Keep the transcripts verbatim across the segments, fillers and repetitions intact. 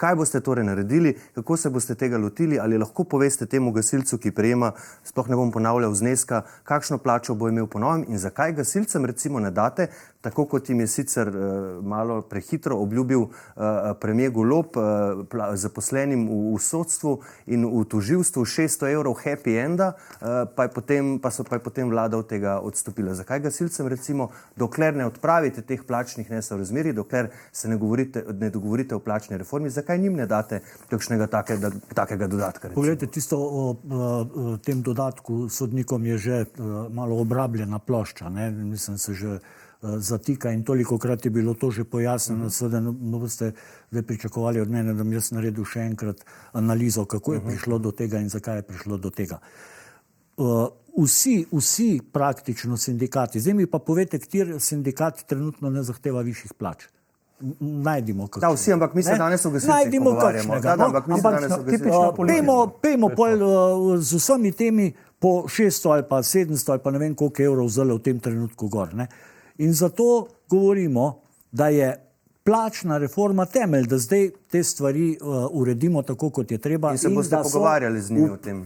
Kaj boste torej naredili, kako se boste tega lotili, ali lahko poveste temu gasilcu, ki prejema, sploh ne bom ponavljal zneska, kakšno plačo bo imel po novem in zakaj gasilcem recimo ne date, tako kot jim je sicer uh, malo prehitro obljubil uh, premier Golob uh, zaposlenim v, v sodstvu in v tožilstvu šeststo evrov happy enda, uh, pa, je potem, pa so pa je potem vlada od tega odstopila. Zakaj gasilcem recimo, dokler ne odpravite teh plačnih nesorazmerij, dokler se ne, govorite, ne dogovorite o plačni reformi, zakaj njim ne date kakšnega takega, takega dodatka? Recimo? Poglejte, tisto o, o, o tem dodatku sodnikom je že o, malo obrabljena plošča, ne? Mislim, se že zatika in tolikokrat je bilo to že pojasneno, uh-huh. seveda ne boste zdaj pričakovali od mene, da bi jaz naredil še enkrat analizo, kako je uh-huh. prišlo do tega in zakaj je prišlo do tega. Uh, vsi, vsi praktično sindikati, zdaj mi pa povete, kateri sindikat trenutno ne zahteva višjih plač. Najdimo kakšnega. Da, vsi, ampak mi se danes o gasilcih pogovarjamo. Da, da, ampak mi se danes o gasilcih pogovarjamo. Pejmo pol uh, z vsemi temi po šeststo ali pa sedemsto ali pa ne vem koliko evrov vzeli v tem trenutku gor, ne? In zato govorimo, da je plačna reforma temelj, da zdaj te stvari uh, uredimo tako, kot je treba. In se boste in pogovarjali z njimi v... o tem?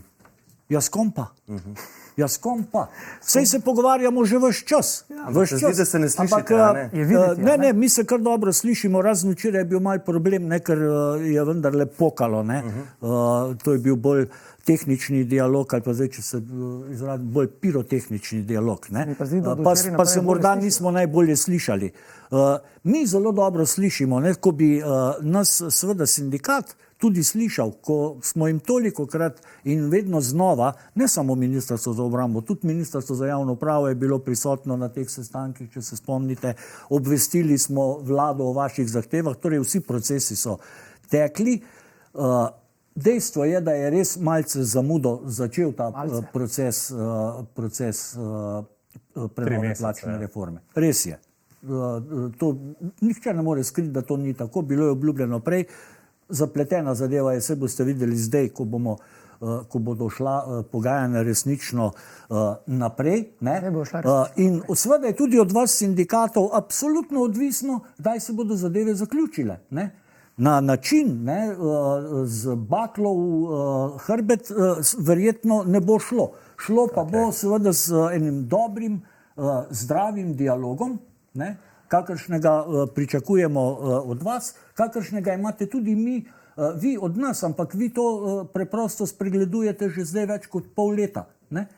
Jaz kom pa. Uh-huh. Jaz kom pa. Sej se pogovarjamo že ves čas. Ja, ves čas. Zdi, da se ne slišite, ampak, ne? Je videti, ne, ne, mi se kar dobro slišimo, razen včeraj je bil mal problem, ne, ker je vendarle pokalo, ne. Uh-huh. Uh, to je bil bolj tehnični dialog, ali pa zdaj, če se izradim, bolj pirotehnični dialog, ne. Pa, zdi, pa, pa se morda nismo najbolje slišali. Uh, mi zelo dobro slišimo, ne, ko bi uh, nas seveda sindikat tudi slišal, ko smo jim tolikokrat in vedno znova, ne samo Ministrstvo za obrambo, tudi Ministrstvo za javno upravo je bilo prisotno na teh sestankih, če se spomnite, obvestili smo vlado o vaših zahtevah, torej vsi procesi so tekli. Uh, dejstvo je, da je res malce zamudo začel ta malce. proces, uh, proces uh, prenove plačne reforme. Res je. Uh, to, nihče ne more skriti, da to ni tako, bilo je obljubljeno prej. Zapletena zadeva je, se boste videli zdaj, ko bomo, uh, ko bodo šla uh, pogajanja resnično uh, naprej. Ne? Ne uh, in seveda je tudi od vas sindikatov absolutno odvisno, kdaj se bodo zadeve zaključile. Ne? Na način, ne, uh, z baklo v uh, hrbet, uh, verjetno ne bo šlo. Šlo pa okay. bo seveda z uh, enim dobrim, uh, zdravim dialogom, ne? kakršnega uh, pričakujemo uh, od vas, kakršnega imate tudi mi, uh, vi od nas, ampak vi to uh, preprosto spregledujete že zdaj več kot pol leta. Ne?